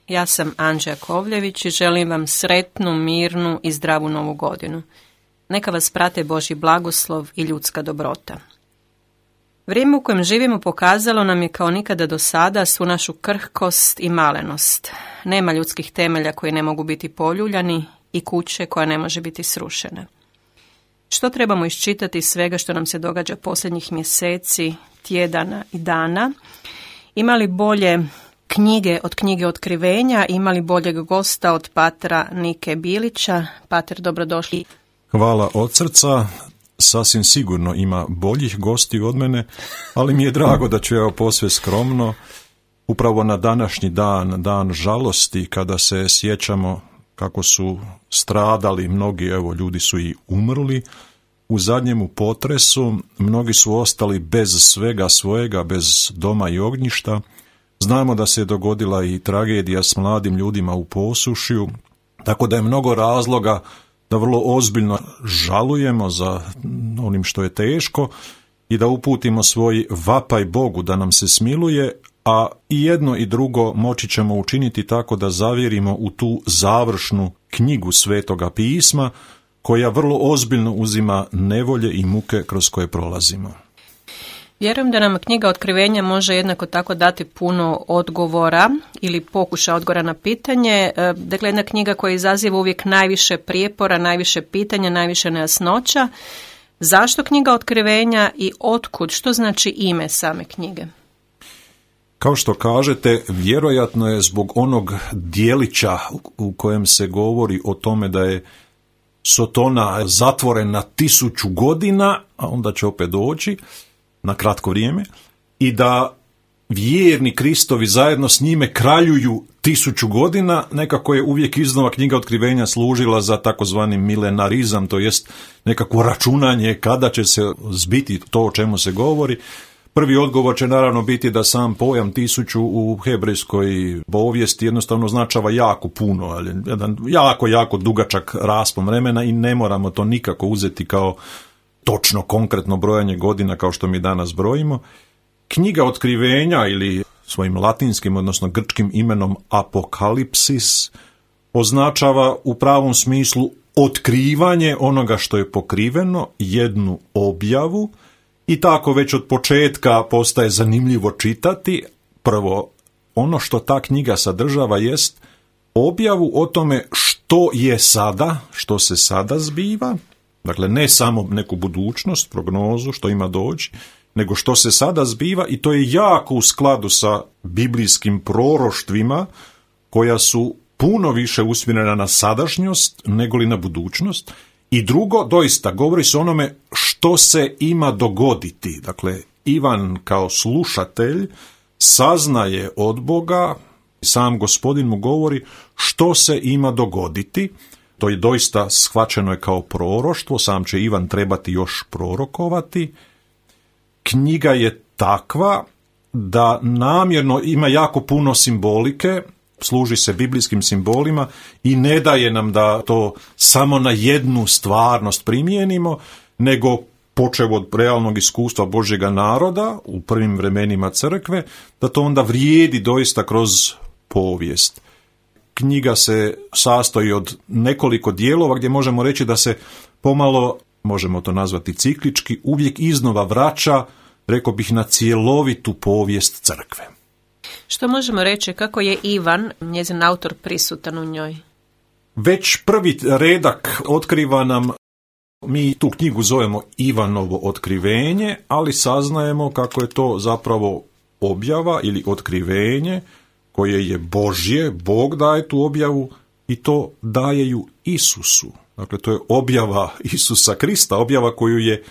Ja sam Anđa Jakovljević i želim vam sretnu, mirnu i zdravu novu godinu. Neka vas prate Božji blagoslov i ljudska dobrota. Vrijeme u kojem živimo pokazalo nam je kao nikada do sada svu našu krhkost i malenost. Nema ljudskih temelja koji ne mogu biti poljuljani i kuće koja ne može biti srušena. Što trebamo iščitati iz svega što nam se događa posljednjih mjeseci, tjedana i dana? Ima li bolje knjige od knjige Otkrivenja, ima li boljeg gosta od patra Nike Bilića? Pater, dobrodošli. Hvala od srca. Sasvim sigurno ima boljih gosti od mene, ali mi je drago da ću ja posve skromno, upravo na današnji dan, dan žalosti, kada se sjećamo kako su stradali mnogi, evo ljudi su i umrli u zadnjemu potresu, mnogi su ostali bez svega svojega, bez doma i ognjišta. Znamo da se dogodila i tragedija s mladim ljudima u Posušju, tako da je mnogo razloga da vrlo ozbiljno žalujemo za onim što je teško i da uputimo svoj vapaj Bogu da nam se smiluje, a i jedno i drugo moći ćemo učiniti tako da zavjerimo u tu završnu knjigu Svetoga pisma koja vrlo ozbiljno uzima nevolje i muke kroz koje prolazimo. Vjerujem da nam knjiga Otkrivenja može jednako tako dati puno odgovora ili pokuša odgovora na pitanje. Dakle, jedna knjiga koja izaziva uvijek najviše prijepora, najviše pitanja, najviše nejasnoća. Zašto knjiga Otkrivenja i otkud? Što znači ime same knjige? Kao što kažete, vjerojatno je zbog onog dijelića u kojem se govori o tome da je Sotona zatvoren na 1000 godina, a onda će opet doći na kratko vrijeme, i da vjerni Kristovi zajedno s njime kraljuju 1000 godina, nekako je uvijek iznova knjiga Otkrivenja služila za takozvani milenarizam, to jest nekako računanje kada će se zbiti to o čemu se govori. Prvi odgovor će naravno biti da sam pojam 1000 u hebrejskoj povijesti jednostavno označava jako puno, ali jedan jako dugačak raspon vremena i ne moramo to nikako uzeti kao točno, konkretno brojanje godina kao što mi danas brojimo. Knjiga Otkrivenja ili svojim latinskim, odnosno grčkim imenom Apokalipsis označava u pravom smislu otkrivanje onoga što je pokriveno, jednu objavu, i tako već od početka postaje zanimljivo čitati. Prvo, ono što ta knjiga sadržava jest objavu o tome što je sada, što se sada zbiva. Dakle, ne samo neku budućnost, prognozu, što ima doći, nego što se sada zbiva, i to je jako u skladu sa biblijskim proroštvima koja su puno više usmjerena na sadašnjost nego li na budućnost. I drugo, doista, govori se o onome što se ima dogoditi. Dakle, Ivan kao slušatelj saznaje od Boga, sam Gospodin mu govori što se ima dogoditi. To je doista shvaćeno je kao proroštvo, sam će Ivan trebati još prorokovati. Knjiga je takva da namjerno ima jako puno simbolike, služi se biblijskim simbolima i ne daje nam da to samo na jednu stvarnost primijenimo, nego počev od realnog iskustva Božjega naroda u prvim vremenima crkve, da to onda vrijedi doista kroz povijest. Knjiga se sastoji od nekoliko dijelova gdje možemo reći da se pomalo, možemo to nazvati ciklički, uvijek iznova vraća, rekao bih, na cjelovitu povijest crkve. Što možemo reći, kako je Ivan, njezin autor, prisutan u njoj? Već prvi redak otkriva nam, mi tu knjigu zovemo Ivanovo otkrivenje, ali saznajemo kako je to zapravo objava ili otkrivenje koje je Božje, Bog daje tu objavu i to daje ju Isusu. Dakle, to je objava Isusa Krista, objava koju je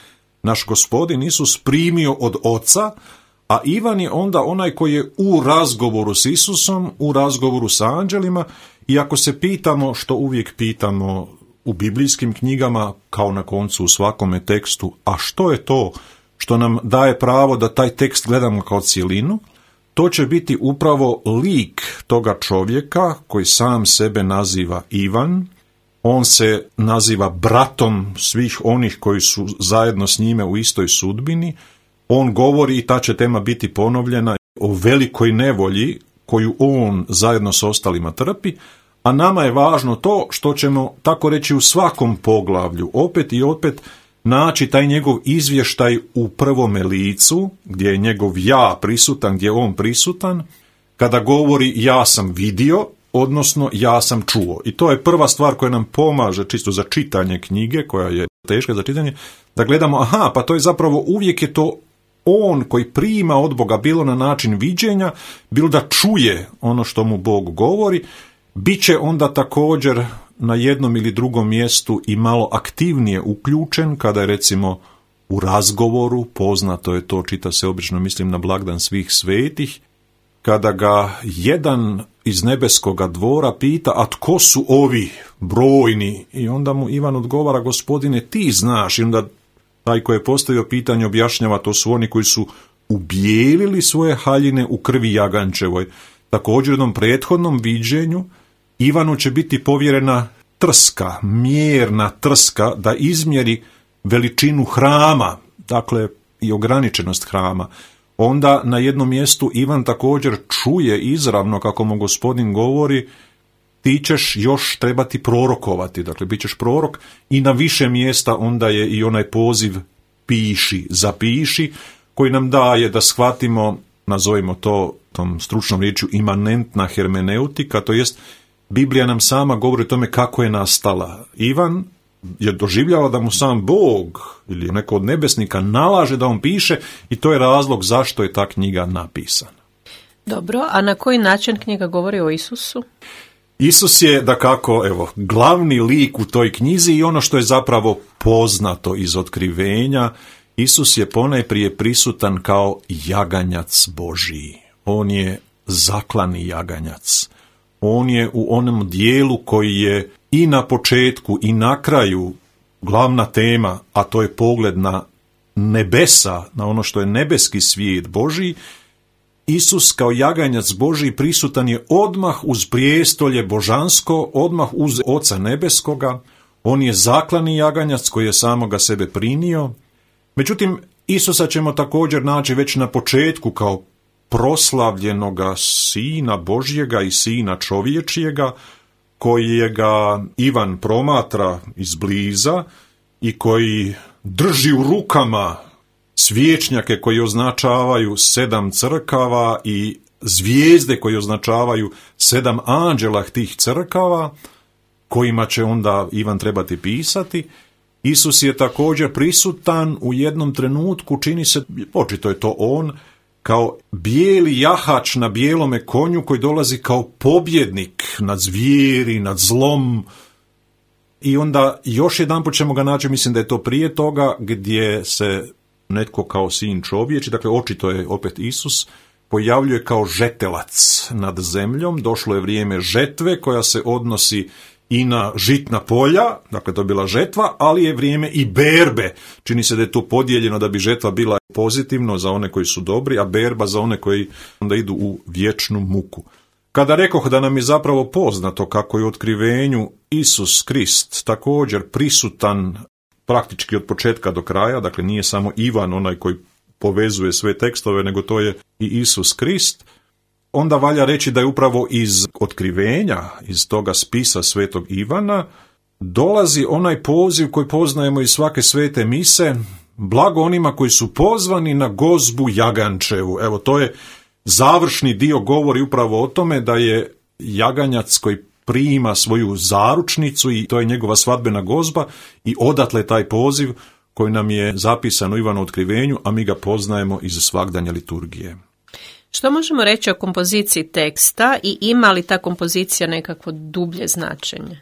naš Gospodin Isus primio od Oca, a Ivan je onda onaj koji je u razgovoru s Isusom, u razgovoru sa anđelima, i ako se pitamo, što uvijek pitamo u biblijskim knjigama, kao na koncu u svakome tekstu, a što je to što nam daje pravo da taj tekst gledamo kao cjelinu, to će biti upravo lik toga čovjeka koji sam sebe naziva Ivan. On se naziva bratom svih onih koji su zajedno s njime u istoj sudbini. On govori, i ta će tema biti ponovljena, o velikoj nevolji koju on zajedno s ostalima trpi, a nama je važno to što ćemo, tako reći, u svakom poglavlju opet i opet naći taj njegov izvještaj u prvome licu, gdje je njegov ja prisutan, gdje je on prisutan, kada govori ja sam vidio, odnosno ja sam čuo. I to je prva stvar koja nam pomaže čisto za čitanje knjige, koja je teška za čitanje, da gledamo, pa to je zapravo uvijek je to on koji prima od Boga, bilo na način viđenja, bilo da čuje ono što mu Bog govori, bit će onda također na jednom ili drugom mjestu i malo aktivnije uključen, kada je recimo u razgovoru, poznato je to, čita se obično, mislim na blagdan svih svetih, kada ga jedan iz nebeskoga dvora pita, a tko su ovi brojni? I onda mu Ivan odgovara, Gospodine, ti znaš. I onda taj koji je postavio pitanje objašnjava, to su oni koji su ubijelili svoje haljine u krvi jagančevoj. Također u jednom prethodnom viđenju Ivanu će biti povjerena trska, mjerna trska, da izmjeri veličinu hrama, dakle i ograničenost hrama. Onda na jednom mjestu Ivan također čuje izravno kako mu Gospodin govori, ti ćeš još trebati prorokovati, dakle bit ćeš prorok, i na više mjesta onda je i onaj poziv piši, zapiši, koji nam daje da shvatimo, nazovimo to tom stručnom riječju, imanentna hermeneutika, to jest Biblija nam sama govori o tome kako je nastala. Ivan je doživljava da mu sam Bog ili neko od nebesnika nalaže da on piše, i to je razlog zašto je ta knjiga napisana. Dobro, a na koji način knjiga govori o Isusu? Isus je, dakako, glavni lik u toj knjizi i ono što je zapravo poznato iz otkrivenja, Isus je ponajprije prisutan kao jaganjac Božiji. On je zaklani jaganjac. On je u onom dijelu koji je i na početku i na kraju glavna tema, a to je pogled na nebesa, na ono što je nebeski svijet Božji. Isus kao jaganjac Božji prisutan je odmah uz prijestolje božansko, odmah uz Oca nebeskoga. On je zaklani jaganjac koji je samoga sebe prinio. Međutim, Isusa ćemo također naći već na početku kao proslavljenoga Sina Božjega i Sina čovječijega, kojega Ivan promatra izbliza i koji drži u rukama svječnjake koji označavaju 7 crkava i zvijezde koji označavaju 7 anđela tih crkava, kojima će onda Ivan trebati pisati. Isus je također prisutan u jednom trenutku, čini se, očito je to on, kao bijeli jahač na bijelome konju koji dolazi kao pobjednik nad zvijeri, nad zlom. I onda još jedanput ćemo ga naći, mislim da je to prije toga, gdje se netko kao sin čovječi, dakle očito je opet Isus, pojavljuje kao žetelac nad zemljom. Došlo je vrijeme žetve koja se odnosi i na žitna polja, dakle to je bila žetva, ali je vrijeme i berbe. Čini se da je to podijeljeno da bi žetva bila pozitivno za one koji su dobri, a berba za one koji onda idu u vječnu muku. Kada rekoh da nam je zapravo poznato kako je u otkrivenju Isus Krist također prisutan praktički od početka do kraja, dakle nije samo Ivan onaj koji povezuje sve tekstove, nego to je i Isus Krist, onda valja reći da je upravo iz otkrivenja, iz toga spisa svetog Ivana, dolazi onaj poziv koji poznajemo iz svake svete mise, blago onima koji su pozvani na gozbu jagančevu. Evo, to je završni dio, govori upravo o tome da je jaganjac koji prima svoju zaručnicu i to je njegova svadbena gozba, i odatle taj poziv koji nam je zapisan u Ivanu otkrivenju, a mi ga poznajemo iz svagdanje liturgije. Što možemo reći o kompoziciji teksta i ima li ta kompozicija nekakvo dublje značenje?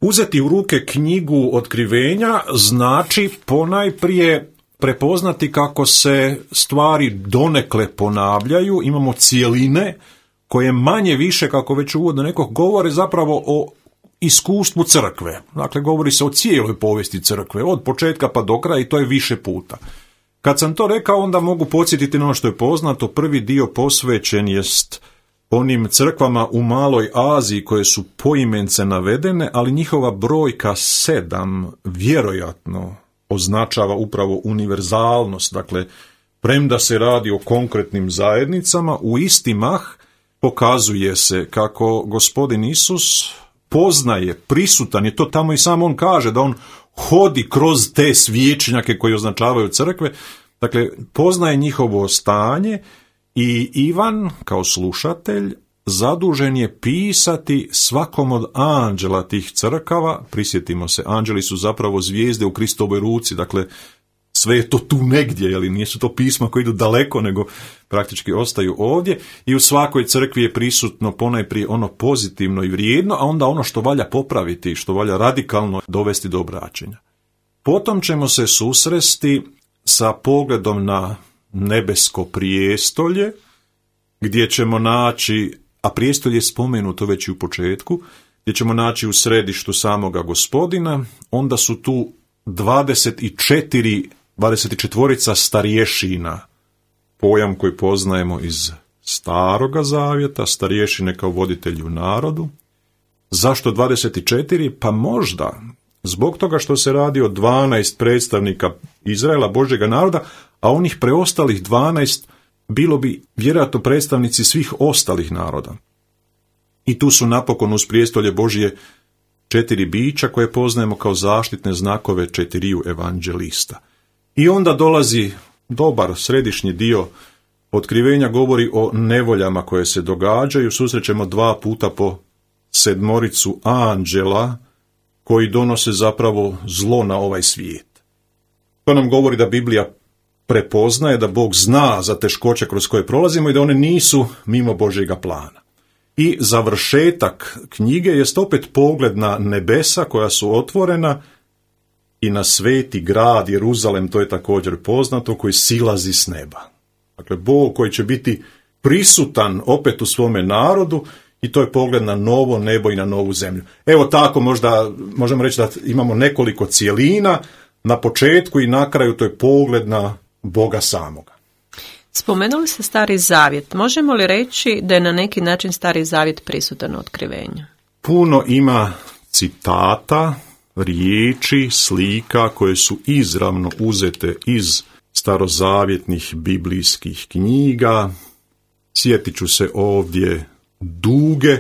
Uzeti u ruke knjigu otkrivenja znači ponajprije prepoznati kako se stvari donekle ponavljaju, imamo cijeline koje manje više, kako već uvodno nekog, govore zapravo o iskustvu crkve. Dakle, govori se o cijeloj povijesti crkve, od početka pa do kraja, i to je više puta. Kad sam to rekao, onda mogu podsjetiti na ono što je poznato. Prvi dio posvećen jest onim crkvama u Maloj Aziji koje su poimence navedene, ali njihova brojka 7 vjerojatno označava upravo univerzalnost. Dakle, premda se radi o konkretnim zajednicama, u isti mah pokazuje se kako Gospodin Isus poznaje, prisutan je, to tamo i sam on kaže, da on hodi kroz te svječnjake koji označavaju crkve, dakle poznaje njihovo stanje i Ivan kao slušatelj zadužen je pisati svakom od anđela tih crkava. Prisjetimo se, anđeli su zapravo zvijezde u Kristovoj ruci, dakle sve je to tu negdje, jeli, nisu to pisma koji idu daleko, nego praktički ostaju ovdje, i u svakoj crkvi je prisutno ponajprije ono pozitivno i vrijedno, a onda ono što valja popraviti, što valja radikalno dovesti do obraćenja. Potom ćemo se susresti sa pogledom na nebesko prijestolje, gdje ćemo naći, a prijestolje je spomenuto već i u početku, gdje ćemo naći u središtu samoga Gospodina, onda su tu 24 starješina, pojam koji poznajemo iz Staroga zavjeta, starješine kao voditelji u narodu. Zašto 24? Pa možda zbog toga što se radi o 12 predstavnika Izraela, Božjega naroda, a onih preostalih 12 bilo bi vjerojatno predstavnici svih ostalih naroda. I tu su napokon uz prijestolje Božje 4 bića koje poznajemo kao zaštitne znakove 4 evanđelista. I onda dolazi dobar središnji dio otkrivenja, govori o nevoljama koje se događaju. Susrećemo 2 puta po 7 anđela koji donose zapravo zlo na ovaj svijet. To nam govori da Biblija prepoznaje, da Bog zna za teškoće kroz koje prolazimo i da one nisu mimo Božjega plana. I završetak knjige jest opet pogled na nebesa koja su otvorena i na sveti grad Jeruzalem, to je također poznato, koji silazi s neba. Dakle, Bog koji će biti prisutan opet u svome narodu, i to je pogled na novo nebo i na novu zemlju. Evo tako možda možemo reći da imamo nekoliko cjelina, na početku i na kraju to je pogled na Boga samoga. Spomenuli ste Stari zavjet. Možemo li reći da je na neki način Stari zavjet prisutan u otkrivenju? Puno ima citata, riječi, slika koje su izravno uzete iz starozavjetnih biblijskih knjiga. Sjetit ću se ovdje duge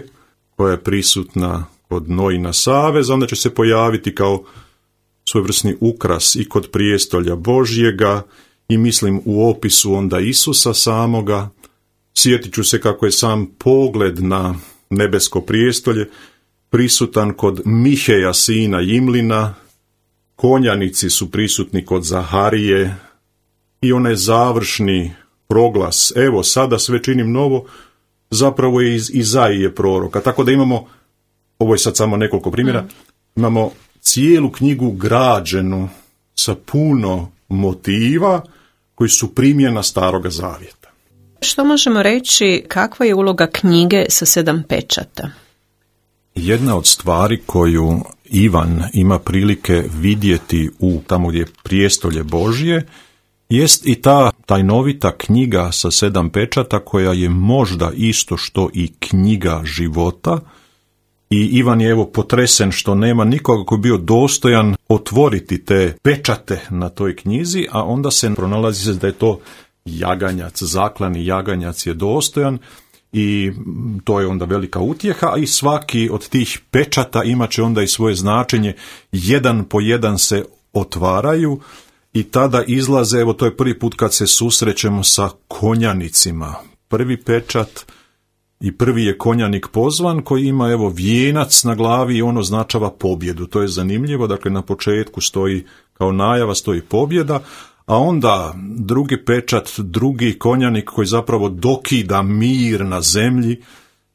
koja je prisutna kod Noina saveza, onda će se pojaviti kao svojevrsni ukras i kod prijestolja Božjega i mislim u opisu onda Isusa samoga. Sjetit ću se kako je sam pogled na nebesko prijestolje prisutan kod Miheja sina Jimlina, konjanici su prisutni kod Zaharije i onaj završni proglas, evo sada sve činim novo, zapravo je iz Izaije proroka. Tako da imamo, ovo je sad samo nekoliko primjera, imamo cijelu knjigu građenu sa puno motiva koji su primjena Staroga zavjeta. Što možemo reći, kakva je uloga knjige sa 7 pečata? Jedna od stvari koju Ivan ima prilike vidjeti u tamo gdje je prijestolje Božje jest i ta tajnovita knjiga sa 7 pečata koja je možda isto što i knjiga života. I Ivan je evo potresen što nema nikoga koji bio dostojan otvoriti te pečate na toj knjizi, a onda se pronalazi se da je to jaganjac, zaklani jaganjac je dostojan i to je onda velika utjeha, i svaki od tih pečata imat će onda i svoje značenje, jedan po jedan se otvaraju i tada izlaze, evo to je prvi put kad se susrećemo sa konjanicima. Prvi pečat i prvi je konjanik pozvan koji ima evo vijenac na glavi i on označava pobjedu. To je zanimljivo, dakle na početku stoji kao najava, stoji pobjeda, a onda drugi pečat, drugi konjanik koji zapravo dokida mir na zemlji,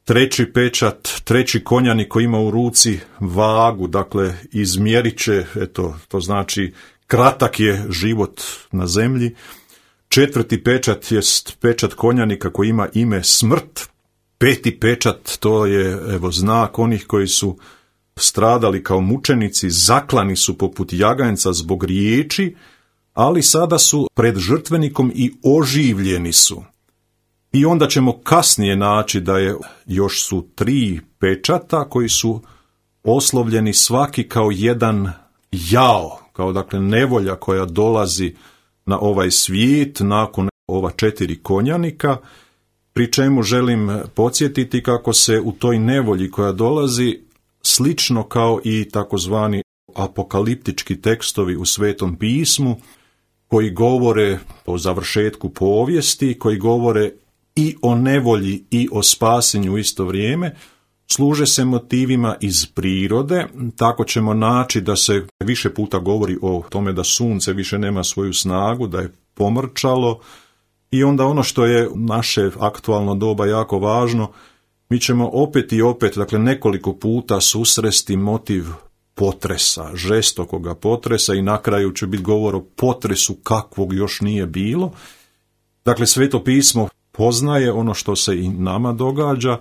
treći pečat, treći konjanik koji ima u ruci vagu, dakle izmjerit će, eto, to znači kratak je život na zemlji. Četvrti pečat jest pečat konjanika koji ima ime smrt. Peti pečat, to je evo znak onih koji su stradali kao mučenici, zaklani su poput jaganjca zbog riječi, ali sada su pred žrtvenikom i oživljeni su. I onda ćemo kasnije naći da je još su 3 pečata koji su oslovljeni svaki kao jedan jao, kao dakle nevolja koja dolazi na ovaj svijet nakon ova 4 konjanika. pri čemu želim podsjetiti kako se u toj nevolji koja dolazi, slično kao i takozvani apokaliptički tekstovi u Svetom pismu, koji govore o završetku povijesti, koji govore i o nevolji i o spasenju u isto vrijeme, služe se motivima iz prirode. Tako ćemo naći da se više puta govori o tome da sunce više nema svoju snagu, da je pomrčalo. I onda ono što je naše aktualno doba jako važno, mi ćemo opet i opet, dakle nekoliko puta susresti motiv potresa, žestokoga potresa, i na kraju će biti govor o potresu kakvog još nije bilo. Dakle, Sveto pismo poznaje ono što se i nama događa,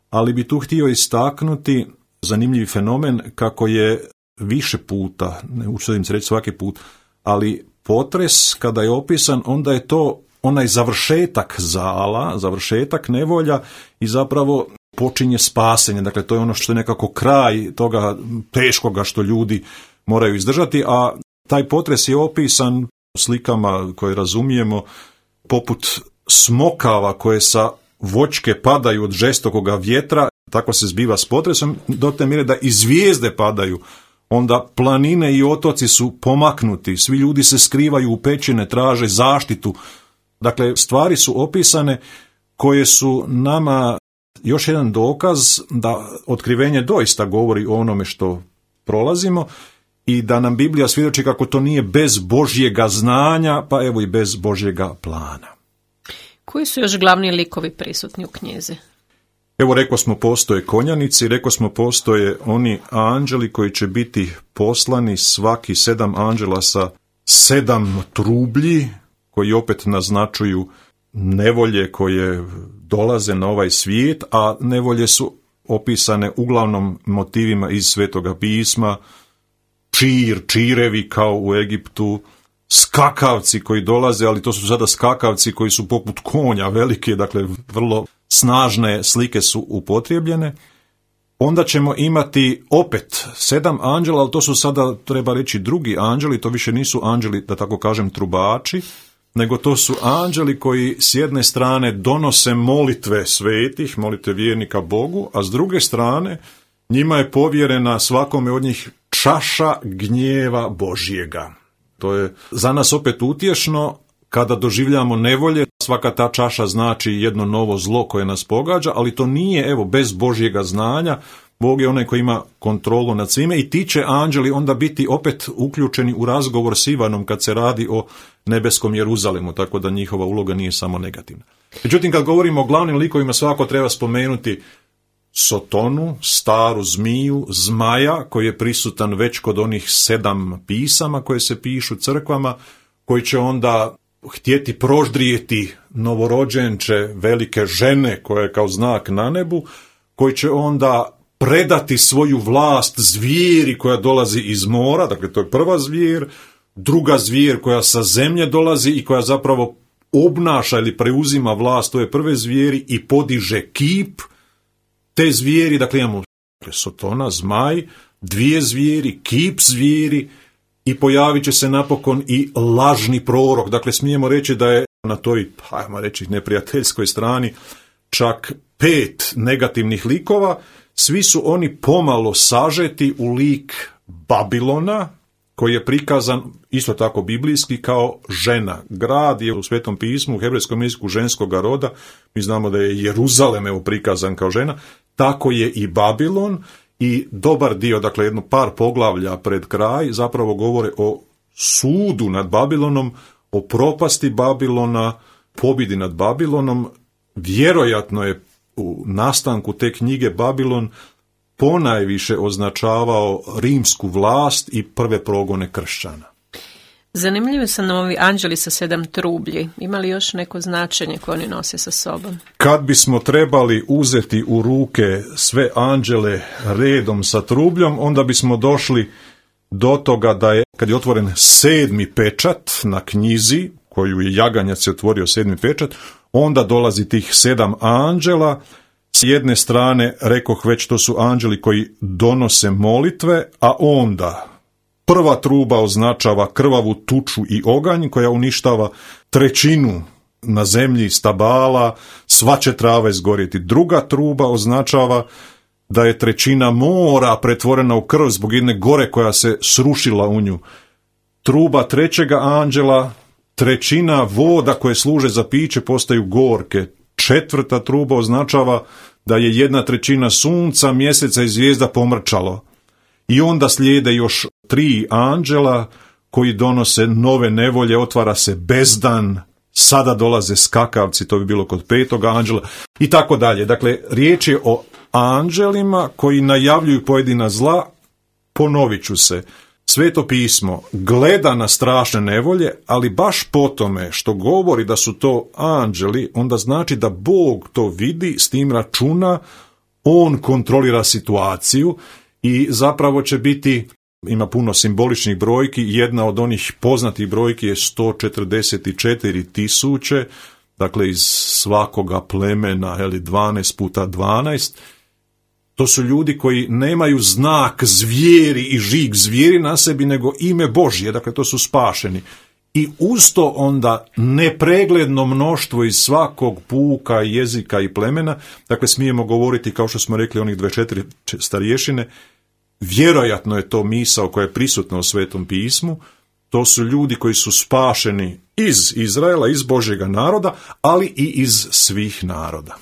ali bi tu htio istaknuti zanimljiv fenomen kako je više puta, ne usudim se reći svaki put, ali potres kada je opisan, onda je to onaj završetak zala, završetak nevolja i zapravo počinje spasenje. Dakle, to je ono što je nekako kraj toga teškoga što ljudi moraju izdržati, a taj potres je opisan slikama koje razumijemo poput smokava koje sa voćke padaju od žestokoga vjetra, tako se zbiva s potresom, do te mjere da i zvijezde padaju. Onda planine i otoci su pomaknuti, svi ljudi se skrivaju u pećine, traže zaštitu. Dakle, stvari su opisane koje su nama još jedan dokaz da otkrivenje doista govori o onome što prolazimo i da nam Biblija svjedoči kako to nije bez Božjega znanja, pa evo i bez Božjega plana. Koji su još glavni likovi prisutni u knjizi? Evo, rekao smo postoje konjanici, rekao smo postoje oni anđeli koji će biti poslani, svaki 7 anđela sa 7 trublji, koji opet naznačuju nevolje koje dolaze na ovaj svijet, a nevolje su opisane uglavnom motivima iz Svetoga pisma, čirevi kao u Egiptu, skakavci koji dolaze, ali to su sada skakavci koji su poput konja velike, dakle vrlo snažne slike su upotrijebljene. Onda ćemo imati opet 7 anđela, ali to su sada, treba reći, drugi anđeli, to više nisu anđeli, da tako kažem, trubači, nego to su anđeli koji s jedne strane donose molitve svetih, molitve vjernika Bogu, a s druge strane njima je povjerena svakome od njih čaša gnjeva Božjega. To je za nas opet utješno kada doživljamo nevolje, svaka ta čaša znači jedno novo zlo koje nas pogađa, ali to nije, evo, bez Božjega znanja. Bog je onaj koji ima kontrolu nad svime i ti će anđeli onda biti opet uključeni u razgovor s Ivanom kad se radi o nebeskom Jeruzalemu, tako da njihova uloga nije samo negativna. Međutim, kad govorimo o glavnim likovima, svako treba spomenuti Sotonu, staru zmiju, zmaja, koji je prisutan već kod onih 7 pisama koje se pišu crkvama, koji će onda htjeti proždrijeti novorođenče velike žene koja je kao znak na nebu, koji će onda predati svoju vlast zvijeri koja dolazi iz mora, dakle to je prva zvijer, druga zvijer koja sa zemlje dolazi i koja zapravo obnaša ili preuzima vlast ove prve zvijeri i podiže kip te zvijeri. Dakle imamo Sotona, zmaj, 2 zvijeri, kip zvijeri i pojavit će se napokon i lažni prorok. Dakle, smijemo reći da je na toj, ajmo reći, neprijateljskoj strani čak 5 negativnih likova. Svi su oni pomalo sažeti u lik Babilona, koji je prikazan isto tako biblijski kao žena. Grad je u Svetom pismu, u hebrejskom jeziku ženskoga roda. Mi znamo da je Jeruzalem prikazan kao žena. Tako je i Babilon i dobar dio, dakle jedno par poglavlja pred kraj, zapravo govore o sudu nad Babilonom, o propasti Babilona, pobjedi nad Babilonom. Vjerojatno je u nastanku te knjige Babilon ponajviše označavao rimsku vlast i prve progone kršćana. Zanimljivi su nam ovi anđeli sa 7 trublji. Ima li još neko značenje koje oni nose sa sobom? Kad bismo trebali uzeti u ruke sve anđele redom sa trubljom, onda bismo došli do toga da je, kad je otvoren 7. pečat na knjizi, koju je Jaganjac otvorio 7. pečat, onda dolazi tih 7 anđela. S jedne strane, rekoh već, to su anđeli koji donose molitve, a onda prva truba označava krvavu tuču i oganj koja uništava 1/3 na zemlji stabala, sva će trava izgorjeti. Druga truba označava da je trećina mora pretvorena u krv zbog jedne gore koja se srušila u nju. Truba trećega anđela, trećina voda koje služe za piće postaju gorke. Četvrta truba označava da je 1/3 sunca, mjeseca i zvijezda pomrčalo. I onda slijede još 3 anđela koji donose nove nevolje, otvara se bezdan, sada dolaze skakavci, to bi bilo kod 5. anđela i tako dalje. Dakle, riječ je o anđelima koji najavljuju pojedina zla. Ponovit ću se, Sveto pismo gleda na strašne nevolje, ali baš po tome što govori da su to anđeli, onda znači da Bog to vidi, s tim računa, on kontrolira situaciju i zapravo će biti, ima puno simboličnih brojki, jedna od onih poznatih brojki je 144.000, dakle iz svakoga plemena, 12 puta 12, to su ljudi koji nemaju znak zvijeri i žig zvijeri na sebi, nego ime Božje, dakle to su spašeni. I uz to onda nepregledno mnoštvo iz svakog puka, jezika i plemena, dakle smijemo govoriti, kao što smo rekli, onih 24 starješine, vjerojatno je to misao koja je prisutna u Svetom pismu, to su ljudi koji su spašeni iz Izraela, iz Božjega naroda, ali i iz svih naroda.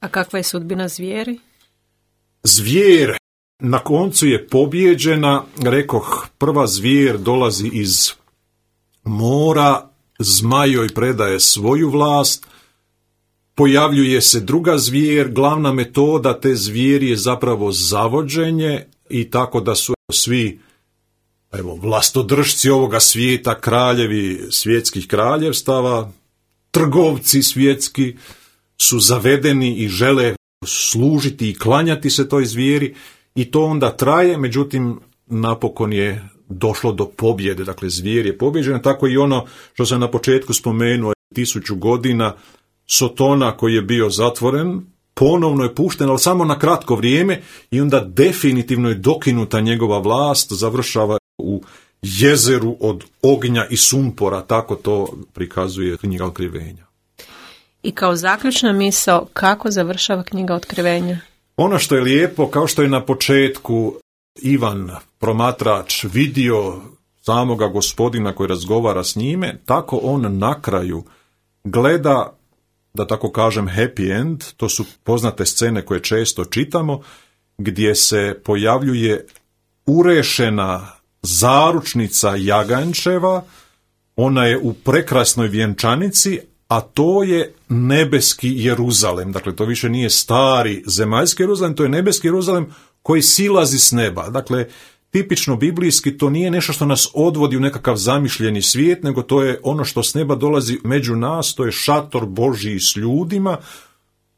A kakva je sudbina zvijeri? Zvijer na koncu je pobjeđena, rekoh, prva zvijer dolazi iz mora, zmajoj predaje svoju vlast, pojavljuje se druga zvijer, glavna metoda te zvijeri je zapravo zavođenje i tako da su svi vlastodržci ovoga svijeta, kraljevi svjetskih kraljevstava, trgovci svjetski su zavedeni i žele služiti i klanjati se toj zvijeri i to onda traje, međutim napokon je došlo do pobjede, dakle zvijer je pobjeđena, tako i ono što sam na početku spomenuo, 1000 godina, Sotona koji je bio zatvoren, ponovno je pušten, ali samo na kratko vrijeme i onda definitivno je dokinuta njegova vlast, završava u jezeru od ognja i sumpora, tako to prikazuje knjiga Otkrivenja. I kao zaključna misao, kako završava knjiga Otkrivenja? Ono što je lijepo, kao što je na početku Ivan promatrač vidio samoga Gospodina koji razgovara s njime, tako on na kraju gleda, da tako kažem, happy end, to su poznate scene koje često čitamo, gdje se pojavljuje urešena zaručnica Jagančeva, ona je u prekrasnoj vjenčanici, a to je nebeski Jeruzalem. Dakle, to više nije stari zemaljski Jeruzalem, to je nebeski Jeruzalem koji silazi s neba. Dakle, tipično biblijski to nije nešto što nas odvodi u nekakav zamišljeni svijet, nego to je ono što s neba dolazi među nas, to je šator Božji s ljudima.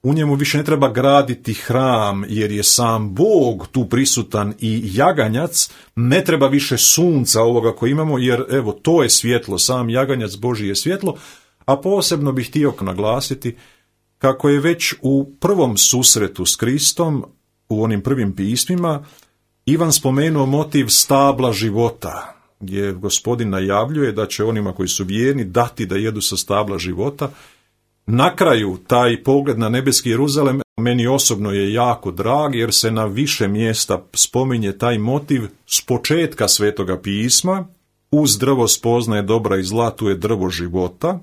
U njemu više ne treba graditi hram, jer je sam Bog tu prisutan i jaganjac, ne treba više sunca ovoga koji imamo, jer evo, to je svjetlo, sam jaganjac Božji je svjetlo. A posebno bih htio naglasiti kako je već u prvom susretu s Kristom, u onim prvim pismima, Ivan spomenuo motiv stabla života, gdje Gospodin najavljuje da će onima koji su vjerni dati da jedu sa stabla života. Na kraju taj pogled na nebeski Jeruzalem meni osobno je jako drag, jer se na više mjesta spominje taj motiv s početka Svetoga pisma. Uz drvo spoznaje dobra i zla, tu je drvo života.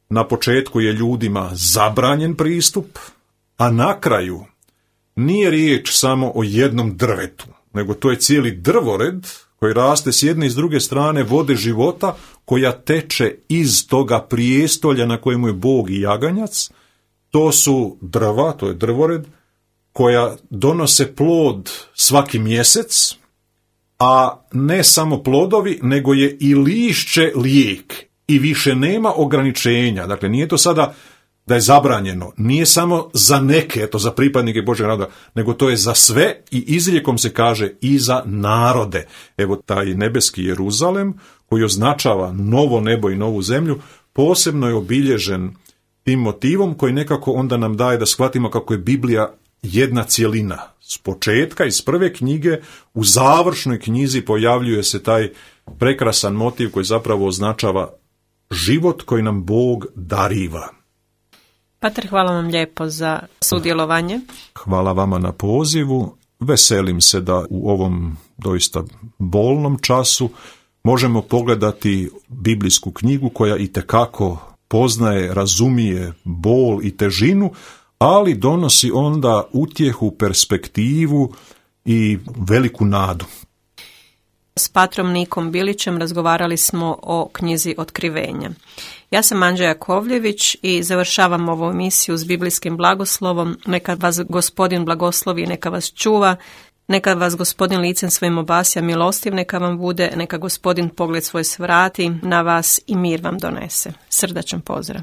Na početku je ljudima zabranjen pristup, a na kraju nije riječ samo o jednom drvetu, nego to je cijeli drvored koji raste s jedne i s druge strane vode života koja teče iz toga prijestolja na kojemu je Bog i jaganjac. To su drva, to je drvored, koja donose plod svaki mjesec, a ne samo plodovi, nego je i lišće lijek. I više nema ograničenja. Dakle, nije to sada da je zabranjeno. Nije samo za neke, za pripadnike Božjeg naroda, nego to je za sve i izrijekom se kaže i za narode. Evo, taj nebeski Jeruzalem, koji označava novo nebo i novu zemlju, posebno je obilježen tim motivom koji nekako onda nam daje da shvatimo kako je Biblija jedna cjelina. S početka, iz prve knjige, u završnoj knjizi pojavljuje se taj prekrasan motiv koji zapravo označava život koji nam Bog dariva. Pater, hvala vam lijepo za sudjelovanje. Hvala vama na pozivu. Veselim se da u ovom doista bolnom času možemo pogledati biblijsku knjigu koja itekako poznaje, razumije bol i težinu, ali donosi onda utjehu, perspektivu i veliku nadu. S patrom Nikom Bilićem razgovarali smo o knjizi Otkrivenja. Ja sam Anđa Jakovljević i završavam ovu emisiju s biblijskim blagoslovom. Neka vas Gospodin blagoslovi, neka vas čuva, neka vas Gospodin licem svojim obasja milostiv, neka vam bude, neka Gospodin pogled svoj svrati na vas i mir vam donese. Srdačan pozdrav.